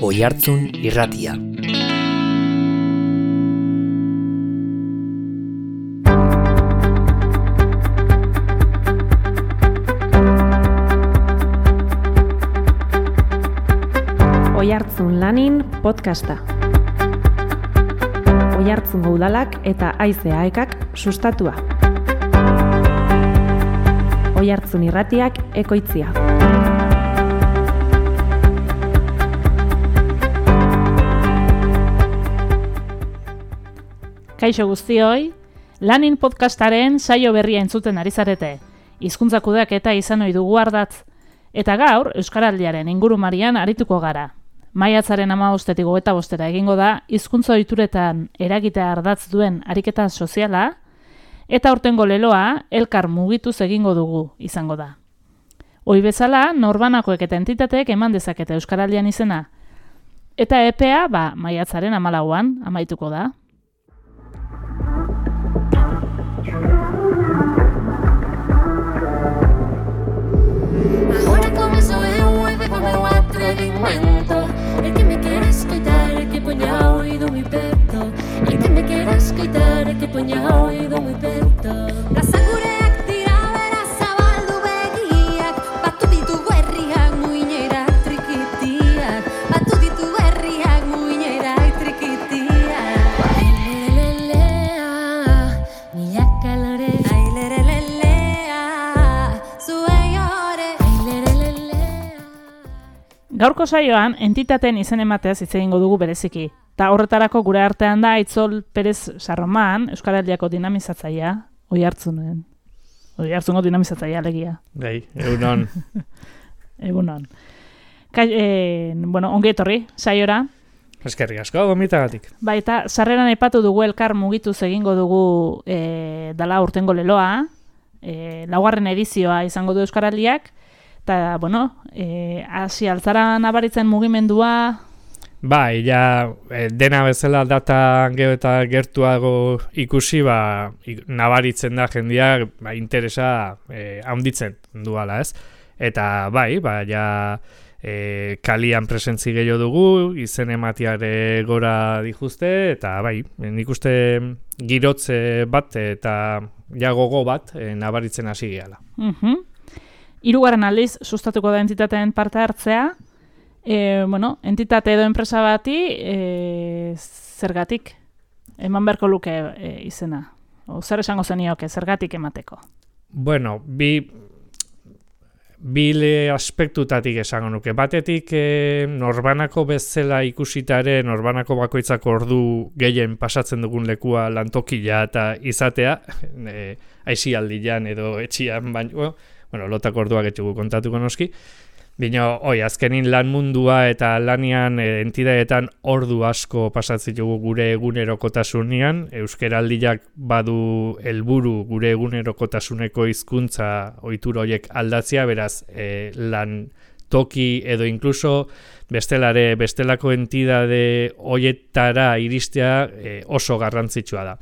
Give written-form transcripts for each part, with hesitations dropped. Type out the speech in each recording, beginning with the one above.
Oihartzun Irratia. Oihartzun Lanin podcasta. Oihartzungo udalak eta AICAek sustatua. Oihartzun Irratiak ekoitzia. Kaixo guztioi, Lanin podcastaren saio berria entzuten ari zarete. Hizkuntza kudeaketa izan ohi dugu ardatz. Eta gaur, Euskaraldiaren ingurumarian arituko gara. Maiatzaren 15-tik 25-era egingo da, hizkuntza ohituretan eragitea ardatz duen ariketa soziala, eta aurtengo leloa elkar mugituz egingo dugu izango da. Ohi bezala, norbanakoek eta entitateek eman dezakete Euskaraldian izena. Eta epea, maiatzaren 14an amaituko da. Ahora comienzo el jueves con nuevo atrevimiento. El que me quieras quitar, el que ponga oído mi pecho. El que me quieras quitar, el que ponga oído mi pecho. Plaza gureak dira bera zabaldu begiak. Batu ditu herriak muinerak trikitiak. Batu ditu herriak muinerak trikitiak. Ailelelelea, milaka kalore. Ailelelelea, zuei ore. Ailelelelea. Gaurko saioan, entitateen izen emateaz hitz egingo dugu bereziki. Ta horretarako gure artean da Aitzol Perez Sarroman, Euskaraldiako dinamizatzailea, Oihartzungo dinamizatzailea alegia. Bai, egunon. Egunon. Ongi etorri, saiora. Eskerrik asko, gomitagatik. Eta sarreran aipatu dugu elkar mugituz egingo dugu dala urtengo leloa, 4. edizioa izango du Euskaraldiak, eta, hasi altzara nabaritzen mugimendua. Dena bezala data gero eta gertuago ikusi, nabaritzen da jendeak interesa handitzen duala, ez? Eta kalian presentzi gehiago dugu, izen ematiare gora dijuzte, eta nik uste girotze bat eta gogo bat nabaritzen hasi gehala. 3. aldiz sustatuko da entitateen parte hartzea. Entitate edo enpresa bati zergatik eman beharko luke izena. Zer esango zenioke zergatik emateko? Bi aspektutatik esango nuke. Batetik norbanako bezala ikusitare, norbanako bakoitzak ordu gehien pasatzen dugun lekua lantokila eta izatea, aisialdian edo etxian, lotako orduak etxugu kontatuko noski. Azkenin lan mundua eta lanian entidadeetan ordu asko pasatzen dugu gure egunerokotasunean. Euskaraldiak badu helburu gure egunerokotasuneko hizkuntza ohitura horiek aldatzea, beraz lan toki edo inkluso bestelako entidade horietara iristea oso garrantzitsua da.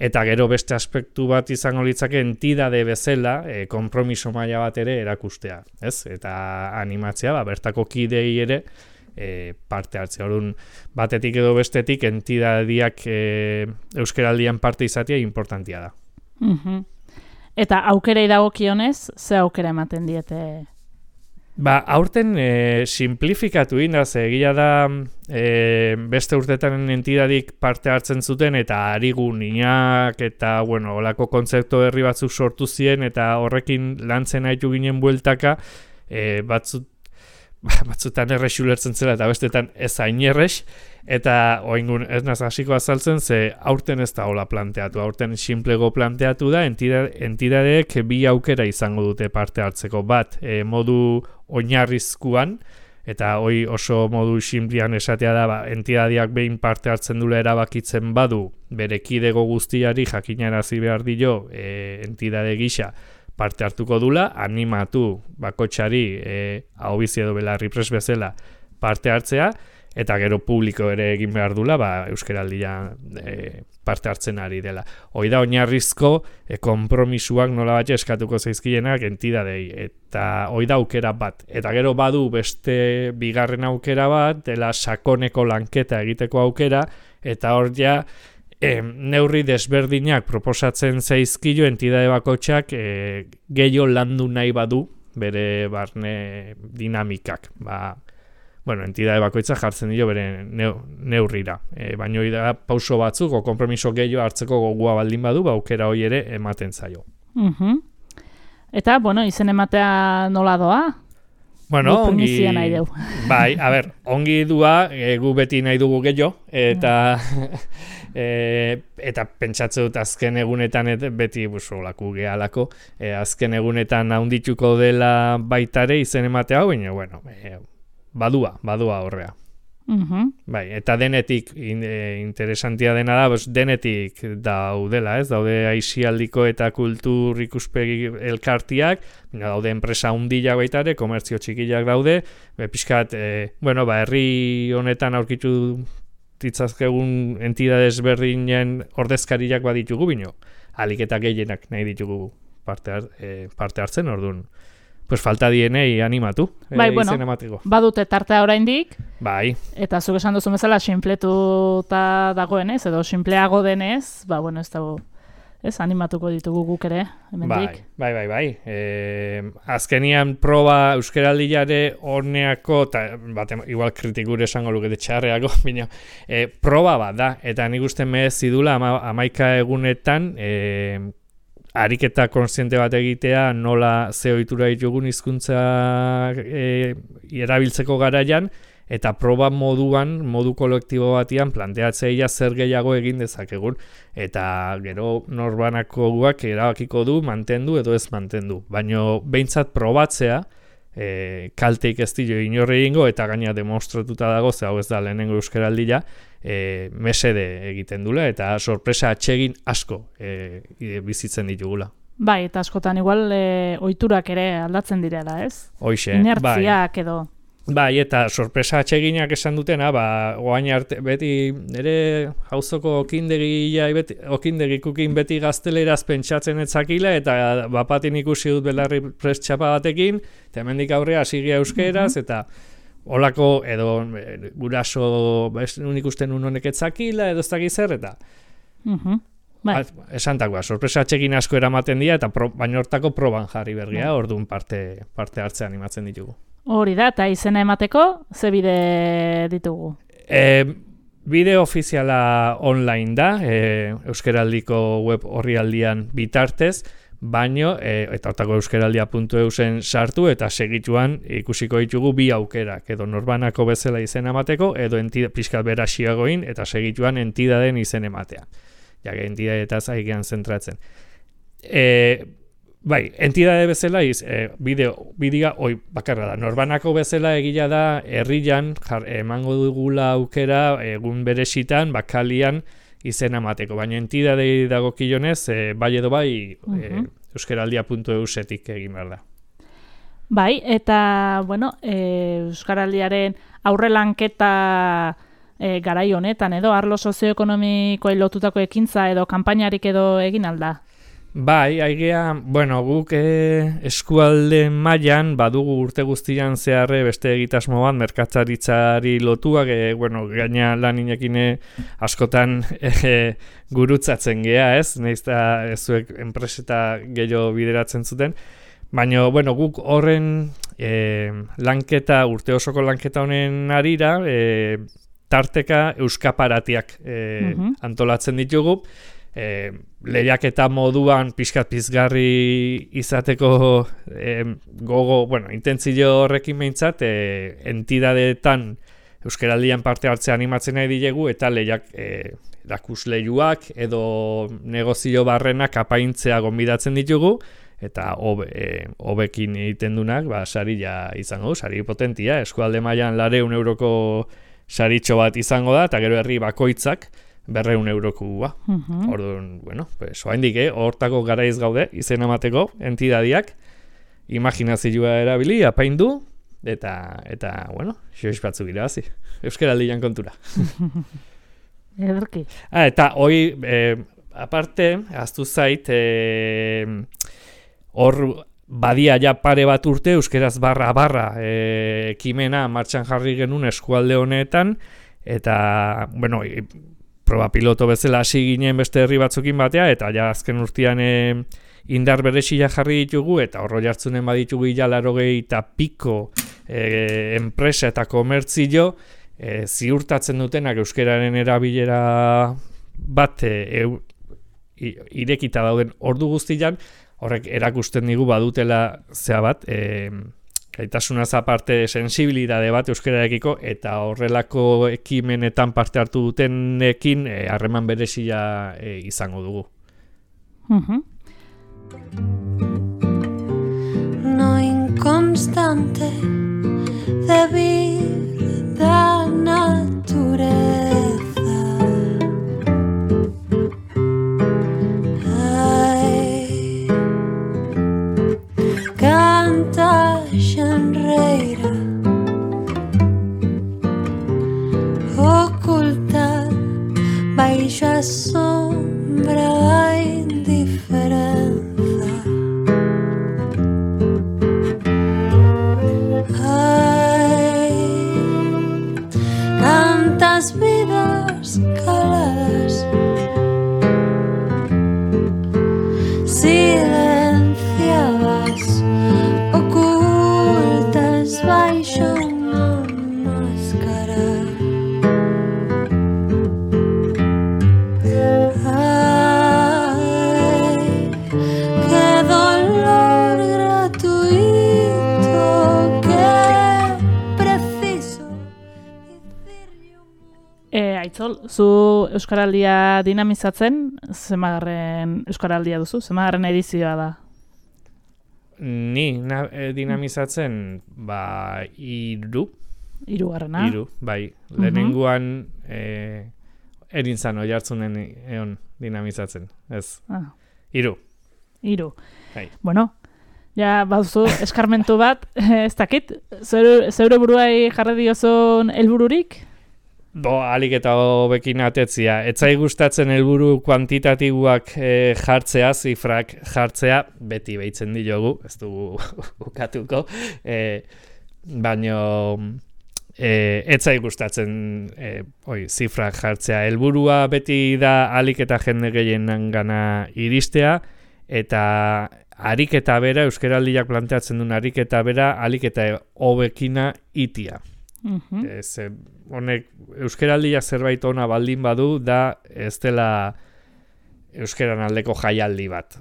Eta gero beste aspektu bat izango litzake entidade bezala, konpromiso maila bat ere erakustea, ez? Eta animatzea, bertako kidei ere parte hartzea. Orduan, batetik edo bestetik entidadiak Euskaraldian parte izatea importantia da. Eta aukerei dagokionez, ze aukera ematen diete? Aurten simplifikatu indaz, egia da beste urtetan entidadik parte hartzen zuten eta arigunak eta olako kontzeptu berri batzuk sortu ziren eta horrekin lantzen haitu ginen bueltaka batzutan errex ulertzen zela eta bestetan ez hain errex eta oingun ez naz hasiko azaltzen ze aurten ez da hola planteatu, aurten simplego planteatu da entidadeek bi aukera izango dute parte hartzeko bat modu oinarrizkuan eta hoi oso modu simplian esatea da entidadiak behin parte hartzen dula erabakitzen badu bere kidego guztiari jakinarazi behar dio entidade gisa parte hartuko dula, animatu bakotsari ahobizi edo belarri pres bezala parte hartzea eta gero publiko ere egin behar dula, Euskaraldia parte hartzen ari dela. Hoi da oinarrizko konpromisuak nola bat eskatuko zaizkienak entidadei, eta hoi da aukera bat. Eta gero badu beste bigarren aukera bat, dela sakoneko lanketa egiteko aukera, eta hor ja neurri desberdinak proposatzen zaizkio entidade bakotxak gehiago landu nahi badu bere barne dinamikak. Entidade bakoitza jartzen dio bere neurrira. Baina da pauso batzuk, o konpromiso gehiago hartzeko gogua baldin badu, aukera hori ere ematen zaio. Eta, izen ematea nola doa? Ongi... Bai, ongi dua, gu beti nahi dugu gehiago, eta eta pentsatze dut azken egunetan beti laku gehalako, azken egunetan handituko dela baitare izen ematea hau, baina, badua horrea. Bai, eta denetik interesantia dena da, denetik daudela, ez? Daude aisialdiko eta kultur ikuspegi elkartiak, daude enpresa handiak baita ere, komertzio txikiak daude, pixkat, herri honetan aurkitu ditzazkegun entidades berdinen ordezkariak baditugu bino, alik eta gehienak nahi ditugu parte hartzen, orduan. Pues falta dienei animatu, izen emateko. Badute tartea oraindik. Bai. Eta zuk esan duzu bezala sinpletuta dagoenez, edo sinpleago denez, ez dago, animatuko ditugu guk ere, hemendik. Bai. Azkenian proba Euskaraldiare honeako, igual kritikure esango lukete txarreako, bina, proba bat da, eta nik uste merezidula 11 egunetan, ariketa kontziente bat egitea nola ze ohitura ditugun hizkuntza erabiltzeko garaian, eta proba modu kolektibo batian planteatzea zer gehiago egin dezakegun, eta gero norbanako guak erabakiko du mantendu edo ez mantendu. Baina behintzat probatzea, kalteik ez dio inorri egingo, eta gaina demostratuta dago, ze hau ez da lehenengo Euskaraldia, mesede egiten dula, eta sorpresa atsegin asko bizitzen ditugula. Bai, eta askotan igual ohiturak ere aldatzen direla, ez? Hoxe, inertziak edo. Bai, eta sorpresa atseginak esan dutena, oain arte beti ere jauzoko okindegikukin beti gazteleraz pentsatzen etzakila, eta bapatin ikusi dut belarri prestxapa batekin, eta hemendik aurrea hasigia euskeraz, eta holako edo guraso unik usten honek etzakila, edo ez dakiz zer, eta esantakoa, sorpresa atxegin asko eramaten dira, eta baina hortako proban jarri bergia, orduan parte hartzean animatzen ditugu. Hori da, eta izena emateko, ze bide ditugu? Bide ofiziala online da, Euskaraldiko web orrialdian bitartez, baino, eta hortako euskaraldia.eusen sartu, eta segituan ikusiko ditugu bi aukerak, edo norbanako bezala izena emateko, edo pixkat beraxiagoin, eta segituan entidaden izen ematea. Jake, entidadetaz aigean zentratzen. Bai, entidade bezala bidea hoi bakarra da. Norbanako bezala egila da herrian emango dugula aukera egun berezitan, bakalian izena emateko. Baina entidadei dagokionez, bai edo bai euskaraldia.eusetik egin behar da. Bai, eta, Euskaraldiaren aurrelanketa garai honetan edo arlo sozioekonomikoei lotutako ekintza edo kanpainarik edo egin alda? Bai, aigea, guk eskualde mailan badugu urte guztian zeharre beste egitasmo bat, merkataritzari lotuak, gaina lan inekin askotan gurutzatzen gea, ez? Naizta zuek enpreseta gehiago bideratzen zuten. Baina, guk horren urte osoko lanketa honen arira, tarteka euskaparatiak antolatzen ditugu, lehiaketa moduan pixkat pizgarri izateko gogo, intentzio horrekin behintzat, entidadeetan Euskaraldian parte hartzea animatzen nahi dilegu, eta erakusleiuak edo negozio barrenak apaintzea gonbidatzen ditugu, eta hobekin egiten dunak, saria izango du, sari potentia, eskualde mailan 200 euroko saritxo bat izango da, eta gero herri bakoitzak 200 eurokua. Orduan, oaindik, hortako garaiz gaude, izen emateko entidadiak, imaginazioa erabili, apaindu, eta bueno, xoiz batzuk irabazi. Euskaraldian kontura. Ederki. Eta hoi, aparte, ahaztu zait, hor badia ja pare bat urte, euskeraz barra ekimena martxan jarri genuen eskualde honetan, eta, bueno, proba piloto bezala hasi ginen beste herri batzukin batea, eta ja azken urtean indar berezia jarri ditugu, eta horro jartzunen baditugu ja 80 enpresa eta komertzio, ziurtatzen dutenak euskeraren erabilera bat irekita dauden ordu guztian, horrek erakusten digu badutela zea bat, gaitasunaz aparte sensibilidade bat euskararekiko, eta horrelako ekimenetan parte hartu dutenekin harreman berezia izango dugu. No inconstante de la naturaleza. Ay, canta xenreira, oculta baixo a sombra da indiferenza. Las vidas caladas, silenciadas, ocultas baixo una máscara. Ay, qué dolor gratuito, qué preciso. Aitzol, zu Euskaraldia dinamizatzen, zemagarren Euskaraldia duzu? Zemagarren edizioa da? Ni dinamizatzen, 3. Hirugarrena? 3, bai. Lehenengoan erintzan oihartzunen egon dinamizatzen, ez. 3. Bai. Bueno, ja baduzu eskarmentu bat, ez dakit, zeure buruai jarri diozun helbururik? Alik eta hobekin atetzia. Etzai gustatzen helburu kuantitatiboak jartzea, zifrak jartzea, beti behitzen diogu, ez dugu ukatuko, baino etzai gustatzen zifrak jartzea. Helburua beti da alik eta jende gehienen gana iristea, eta ariketa bera, euskaraldiak planteatzen duen ariketa bera, alik eta hobekina itia. Honek euskaraldia zerbait ona baldin badu da ez dela euskaran aldeko jaialdi bat.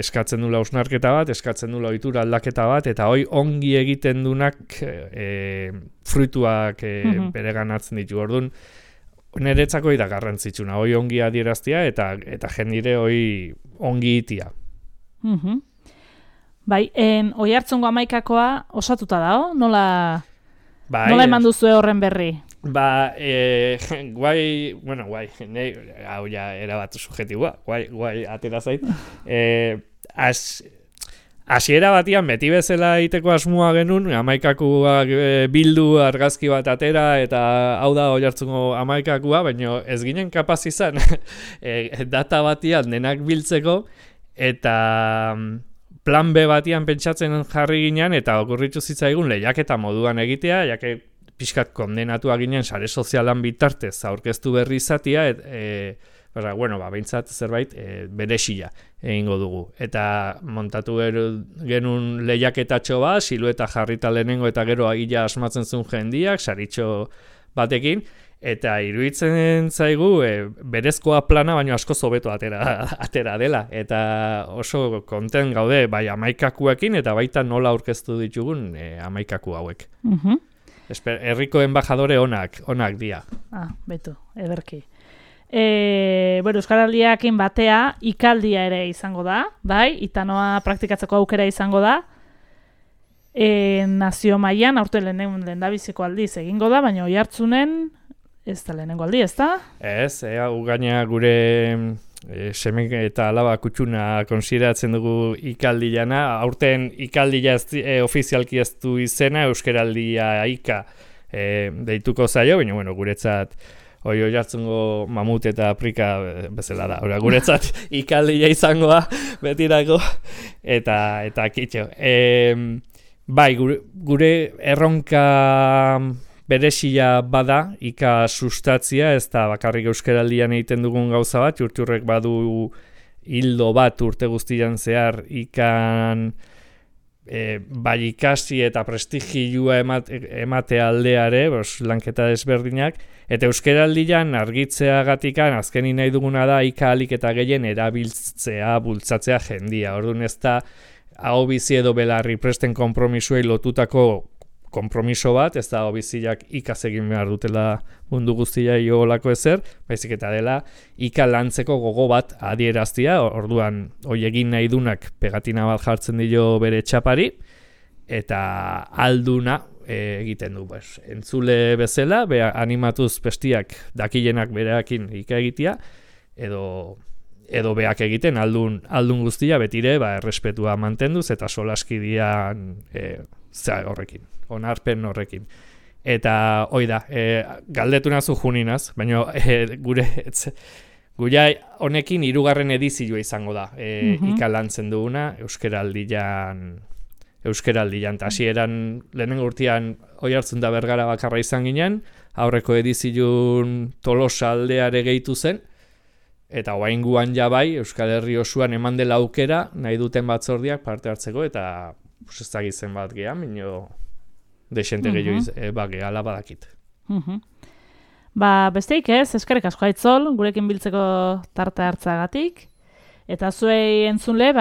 Eskatzen dula hausnarketa bat, eskatzen dula ohitura aldaketa bat, eta hoi ongi egiten dunak fruituak bereganatzen ditu. Orduan, niretzako da garrantzitsuna, hoi ongi adieraztia eta jendire hoi ongi itia. Bai, Oiartzungo 11koa osatuta dago, nola Nola eman duzu horren berri? Guai, hau ja erabat subjetiboa, guai atera zait. Hasiera batian beti bezala egiteko asmoa genuen, 11koa bildu argazki bat atera, eta hau da Oiartzungo 11koa, baina ez ginen kapaz izan data batian denak biltzeko, eta plan B batian pentsatzen jarri ginen, eta okurritu zitzaigun lehiaketa moduan egitea, jake pixkat kondenatua ginen sare sozialan bitartez aurkeztu berri izatia, behintzat zerbait berexia egingo dugu. Eta montatu genuen lehiaketatxo bat, silueta jarrita lehenengo eta gero agila asmatzen zuen jendiak, saritxo batekin, eta iruditzen zaigu berezkoa plana baino asko hobeto atera dela, eta oso konten gaude bai 11koekin eta baita nola aurkeztu ditugun 11ko hauek. Herriko embajadore onak dira. Beto, ederki. Euskaraldiakin batea ikaldia ere izango da, bai, itanoa praktikatzeko aukera izango da. Nazio mailan aurten lehendabiziko aldiz egingo da, baina Oiartzunen ez da lehenengo aldi, ez da? Ez, gaina gure seme eta alaba kutxuna konsideratzen dugu ikaldilana. Aurten ikaldila ofizialki ez du izena, euskeraldia ika deituko zaio, baina bueno, guretzat Oiartzungo mamut eta aprika bezala da. Hora, guretzat ikaldila izangoa betirako eta kitxo. Bai, gure erronka berezia bada, ika sustatzia, ez da bakarrik euskaraldian egiten dugun gauza bat, urturrek badu hildo bat urte guztian zehar ikan bai ikasi eta prestigioa emate aldeare, lanketa desberdinak, eta euskaraldian argitzeagatikan azkenin nahi duguna da ika alik eta gehien erabiltzea, bultzatzea jendia. Orduan ez da hau bizi edo belarri presten konpromisuei lotutako konpromiso bat, ez da biziak ikaz egin behar dutela mundu guztia iolako ezer, baizik eta dela ika lantzeko gogo bat adieraztia, orduan hoi egin nahi dunak pegatina bat jartzen dio bere txapari, eta alduna egiten du. Entzule bezala, animatuz bestiak dakienak bereakin ika egitea, edo beak egiten aldun guztia betire errespetua mantenduz eta solaskidian horrekin, onarpen horrekin. Eta hoi da, galdetu nazu juninaz, baina gure honekin 3. edizioa izango da ikalantzen duguna euskeraldian eta hasieran lehenengo urtean Oiartzun da Bergara bakarra izan ginen, aurreko edizioan Tolosa aldeare gehitu zen, eta oraingoan ja bai Euskal Herri osoan eman dela aukera nahi duten batzordiak parte hartzeko, eta ez dakit zenbat gehan, baina desente gehiago gehala badakit. Besteik ez, eskerrik asko Aitzol, gurekin biltzeko tarte hartzagatik, eta zuei entzunle,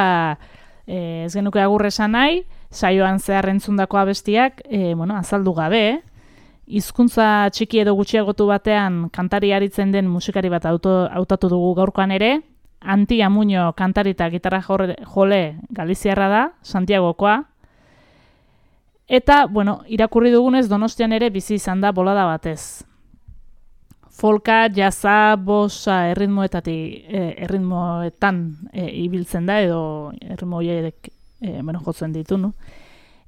ez genuke agur esan nahi, saioan zehar entzundako abestiak, azaldu gabe, hizkuntza txiki edo gutxiagotu batean kantari aritzen den musikari bat hautatu dugu gaurkoan ere, Anti Amuño kantari eta gitarra jole galiziarra da, Santiagokoa, eta, irakurri dugunez Donostian ere bizi izan da bolada batez. Folka, jazza, bossa erritmoetan ibiltzen da, edo erritmo horiek jotzen ditu, no?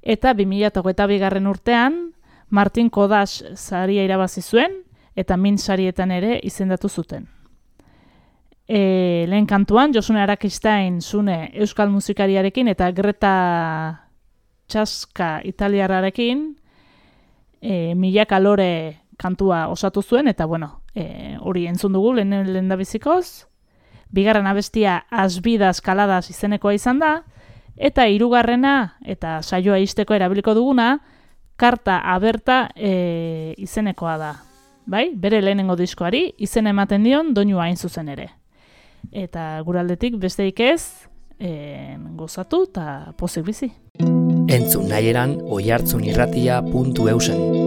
Eta 2022 urtean, Martin Kodas saria irabazi zuen, eta Min sarietan ere izendatu zuten. Lehen kantuan, Josune Arakistain zune euskal musikariarekin, eta Greta Txaska italiarrarekin, Milaka Lore kantua osatu zuen, eta hori entzun dugu lehen da bizikoz. Bigarren abestia Asbidas Kaladas izenekoa izan da, eta 3. eta saioa izteko erabiliko duguna, Karta Aberta izenekoa da. Bai? Bere lehenengo diskoari izen ematen dion doinua hain zuzen ere. Eta guraldetik besteik ez, gozatu eta pozik bizi. Entzun nahieran oiartzunirratia.eusen.